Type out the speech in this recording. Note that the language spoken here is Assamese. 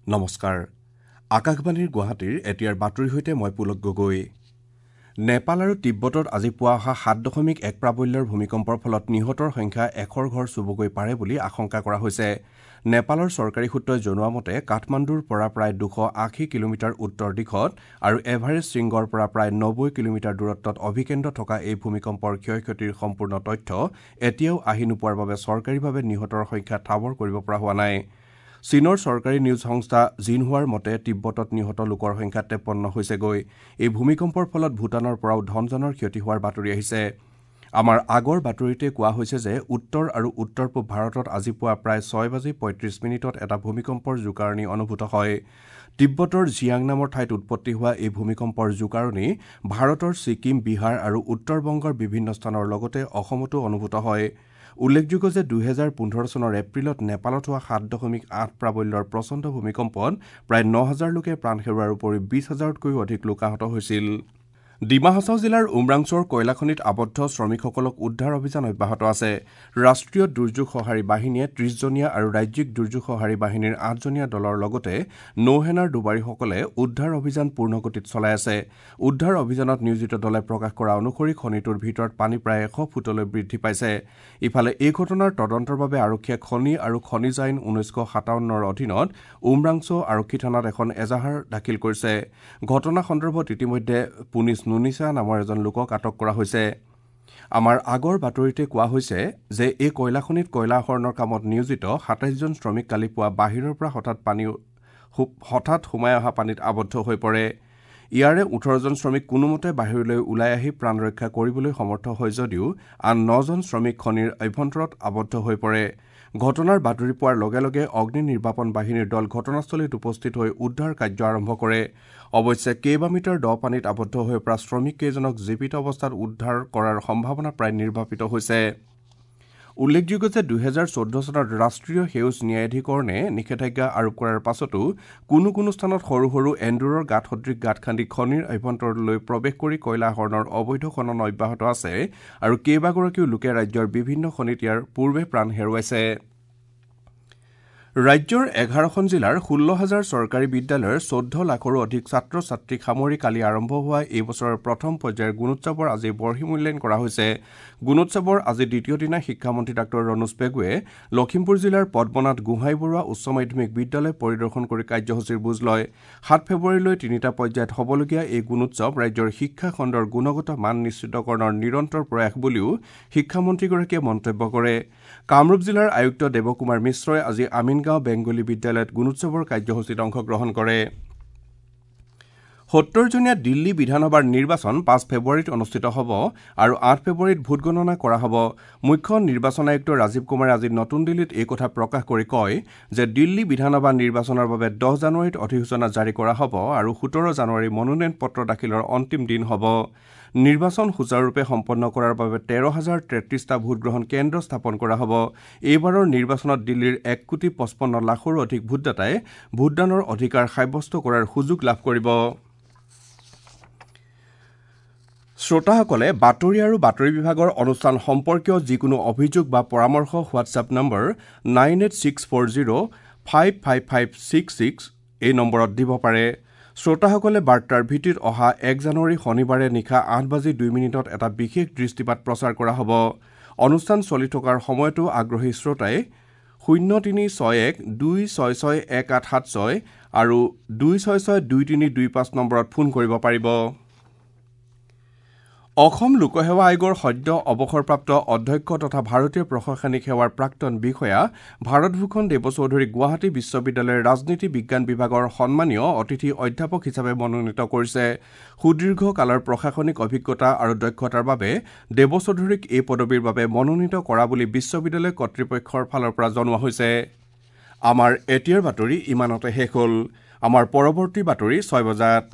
নমস্কাৰ, আকাশবাণীৰ গুৱাহাটীৰ এতিয়াৰ বাতৰিৰ সৈতে মই পুলক গগৈ। নেপাল আৰু তিব্বতত আজি পুৱা অহা 7.1 প্ৰাবল্যৰ ভূমিকম্পৰ ফলত নিহতৰ সংখ্যা 100ৰ ঘৰ চুবগৈ পাৰে বুলি আশংকা কৰা হৈছে। নেপালৰ চৰকাৰী সূত্ৰই জনোৱা মতে কাঠমাণ্ডুৰ পৰা প্ৰায় 280 কিলোমিটাৰ উত্তৰ দিশত আৰু এভাৰেষ্ট শৃংগৰ পৰা প্ৰায় 90 কিলোমিটাৰ দূৰত্বত অভিকেন্দ্ৰ থকা এই ভূমিকম্পৰ ক্ষয় ক্ষতিৰ সম্পূৰ্ণ তথ্য এতিয়াও আহি নোপোৱাৰ বাবে চৰকাৰীভাৱে নিহতৰ সংখ্যা ঠাৱৰ কৰিব পৰা হোৱা নাই। চীনৰ চৰকাৰী নিউজ সংস্থা জিনহুৱাৰ মতে তিব্বতত নিহত লোকৰ সংখ্যা 53 হৈছেগৈ। এই ভূমিকম্পৰ ফলত ভূটানৰ পৰাও ধনজনৰ ক্ষতি হোৱাৰ বাতৰি আহিছে। আমাৰ আগৰ বাতৰিতে কোৱা হৈছে যে উত্তৰ আৰু উত্তৰ পূব ভাৰতত আজি পুৱা প্ৰায় 6:35 এটা ভূমিকম্পৰ জোকাৰণি অনুভূত হয়। তিব্বতৰ জিয়াং নামৰ ঠাইত উৎপত্তি হোৱা এই ভূমিকম্পৰ জোকাৰণি ভাৰতৰ ছিকিম, বিহাৰ আৰু উত্তৰ বংগৰ বিভিন্ন স্থানৰ লগতে অসমতো অনুভূত হয়। উল্লেখযোগ্য যে 2015 চনৰ এপ্ৰিলত নেপালত হোৱা 7.8 প্ৰাবল্যৰ প্ৰচণ্ড ভূমিকম্পত প্ৰায় 9,000 লোকে প্ৰাণ হেৰুওৱাৰ উপৰি 20,000তকৈও অধিক লোক আহত হৈছিল। ডিমা হাছাও জিলাৰ উমৰাংছ'ৰ কয়লাখনিত আবদ্ধ শ্ৰমিকসকলক উদ্ধাৰ অভিযান অব্যাহত আছে। ৰাষ্ট্ৰীয় দুৰ্যোগ সঁহাৰি বাহিনীয়ে 30জনীয়া আৰু ৰাজ্যিক দুৰ্যোগ সঁহাৰি বাহিনীৰ 8জনীয়া দলৰ লগতে নৌসেনাৰ ডুবাৰীসকলে উদ্ধাৰ অভিযান পূৰ্ণগতিত চলাই আছে। উদ্ধাৰ অভিযানত নিয়োজিত দলে প্ৰকাশ কৰা অনুসৰি খনিটোৰ ভিতৰত পানী প্ৰায় 100 ফুটলৈ বৃদ্ধি পাইছে। ইফালে এই ঘটনাৰ তদন্তৰ বাবে আৰক্ষীয়ে খনি আৰু খনিজ আইন 1957ৰ অধীনত উমৰাংছ' আৰক্ষী থানাত এখন এজাহাৰ দাখিল কৰিছে। ঘটনা সন্দৰ্ভত ইতিমধ্যে পুনিছ নুনিছা নামৰ এজন লোকক আটক কৰা হৈছে। আমাৰ আগৰ বাতৰিতে কোৱা হৈছে যে এই কয়লাখনিত কয়লা আহৰণৰ কামত নিয়োজিত 27জন শ্ৰমিক কালি পুৱা বাহিৰৰ পৰা হঠাৎ সোমাই অহা পানীত আবদ্ধ হৈ পৰে। ইয়াৰে 18জন শ্ৰমিক কোনোমতে বাহিৰলৈ ওলাই আহি প্ৰাণ ৰক্ষা কৰিবলৈ সমৰ্থ হয় যদিও আন 9জন শ্ৰমিক খনিৰ অভ্যন্তৰত আবদ্ধ হৈ পৰে। ঘটনাৰ বাতৰি পোৱাৰ লগে লগে অগ্নি নিৰ্বাপন বাহিনীৰ দল ঘটনাস্থলীত উপস্থিত হৈ উদ্ধাৰ কাৰ্য আৰম্ভ কৰে। অৱশ্যে কেইবামিটাৰ দ পানীত আবদ্ধ হৈ পৰা শ্ৰমিককেইজনক জীৱিত অৱস্থাত উদ্ধাৰ কৰাৰ সম্ভাৱনা প্ৰায় নিৰ্বাপিত হৈছে। উল্লেখযোগ্য যে 2014 চনত ৰাষ্ট্ৰীয় সেউজ ন্যায়াধিকৰণে নিষেধাজ্ঞা আৰোপ কৰাৰ পাছতো কোনো কোনো স্থানত সৰু সৰু এন্দুৰৰ গাঁত সদৃশ গাঁত খান্দি খনিৰ অভ্যন্তৰলৈ প্ৰৱেশ কৰি কয়লা আহৰণৰ অবৈধ খনন অব্যাহত আছে আৰু কেইবাগৰাকীও লোকে ৰাজ্যৰ বিভিন্ন খনিত ইয়াৰ পূৰ্বে প্ৰাণ হেৰুৱাইছে। ৰাজ্যৰ 11খন জিলাৰ 16,000 চৰকাৰী বিদ্যালয়ৰ 14 লাখৰো অধিক ছাত্ৰ ছাত্ৰীক সামৰি কালি আৰম্ভ হোৱা এই বছৰৰ প্ৰথম পৰ্যায়ৰ গুণোৎসৱৰ আজি বৰ্হি মূল্যায়ন কৰা হৈছে। গুণোৎসৱৰ আজি দ্বিতীয় দিনা শিক্ষামন্ত্ৰী ডাঃ ৰণোজ পেগুৱে লখিমপুৰ জিলাৰ পদ্মনাথ গোহাঁই বৰুৱা উচ্চ মাধ্যমিক বিদ্যালয় পৰিদৰ্শন কৰি কাৰ্যসূচীৰ বুজ লয়। 7 ফেব্ৰুৱাৰীলৈ 3টা পৰ্যায়ত হ'বলগীয়া এই গুণোৎসৱ ৰাজ্যৰ শিক্ষা খণ্ডৰ গুণগত মান নিশ্চিতকৰণৰ নিৰন্তৰ প্ৰয়াস বুলিও শিক্ষামন্ত্ৰীগৰাকীয়ে মন্তব্য কৰে। কামৰূপ জিলাৰ আয়ুক্ত দেৱকুমাৰ মিশ্ৰই আজি আমিনগাঁও বেংগলী বিদ্যালয়ত গুণোৎসৱৰ কাৰ্যসূচীত অংশগ্ৰহণ কৰে। 70জনীয়া দিল্লী বিধানসভাৰ নিৰ্বাচন 5 ফেব্ৰুৱাৰীত অনুষ্ঠিত হ'ব আৰু 8 ফেব্ৰুৱাৰীত ভোটগণনা কৰা হ'ব। মুখ্য নিৰ্বাচন আয়ুক্ত ৰাজীৱ কুমাৰে আজি নতুন দিল্লীত এই কথা প্ৰকাশ কৰি কয় যে দিল্লী বিধানসভা নিৰ্বাচনৰ বাবে 10 জানুৱাৰীত অধিসূচনা জাৰি কৰা হ'ব আৰু 17 জানুৱাৰী মনোনয়ন পত্ৰ দাখিলৰ অন্তিম দিন হ'ব। নিৰ্বাচন সুচাৰুৰূপে সম্পন্ন কৰাৰ বাবে 13,033টা ভোটগ্ৰহণ কেন্দ্ৰ স্থাপন কৰা হ'ব। এইবাৰৰ নিৰ্বাচনত দিল্লীৰ 1,55,00,000ৰো অধিক ভোটদাতাই ভোটদানৰ অধিকাৰ সাব্যস্ত কৰাৰ সুযোগ লাভ কৰিব। শ্ৰোতাসকলে বাতৰি আৰু বাতৰি বিভাগৰ অনুষ্ঠান সম্পৰ্কীয় যিকোনো অভিযোগ বা পৰামৰ্শ হোৱাটছএপ নম্বৰ 9864055566 এই নম্বৰত দিব পাৰে। শ্ৰোতাসকলে বাৰ্তাৰ ভিত্তিত অহা 1 জানুৱাৰী শনিবাৰে নিশা 8:02 এটা বিশেষ দৃষ্টিপাত প্ৰচাৰ কৰা হ'ব। অনুষ্ঠান চলি থকাৰ সময়তো আগ্ৰহী শ্ৰোতাই 0361 266 1876 আৰু 266 2325 নম্বৰত ফোন কৰিব পাৰিব। অসম লোকসেৱা আয়োগৰ সদ্য অৱসৰপ্ৰাপ্ত অধ্যক্ষ তথা ভাৰতীয় প্ৰশাসনিক সেৱাৰ প্ৰাক্তন বিষয়া ভাৰতভূষণ দেৱচৌধুৰীক গুৱাহাটী বিশ্ববিদ্যালয়ৰ ৰাজনীতি বিজ্ঞান বিভাগৰ সন্মানীয় অতিথি অধ্যাপক হিচাপে মনোনীত কৰিছে। সুদীৰ্ঘকালৰ প্ৰশাসনিক অভিজ্ঞতা আৰু দক্ষতাৰ বাবে দেৱচৌধুৰীক এই পদবীৰ বাবে মনোনীত কৰা বুলি বিশ্ববিদ্যালয় কৰ্তৃপক্ষৰ ফালৰ পৰা জনোৱা হৈছে। আমাৰ এতিয়াৰ বাতৰি ইমানতে শেষ হ'ল। আমাৰ পৰৱৰ্তী বাতৰি 6 বজাত।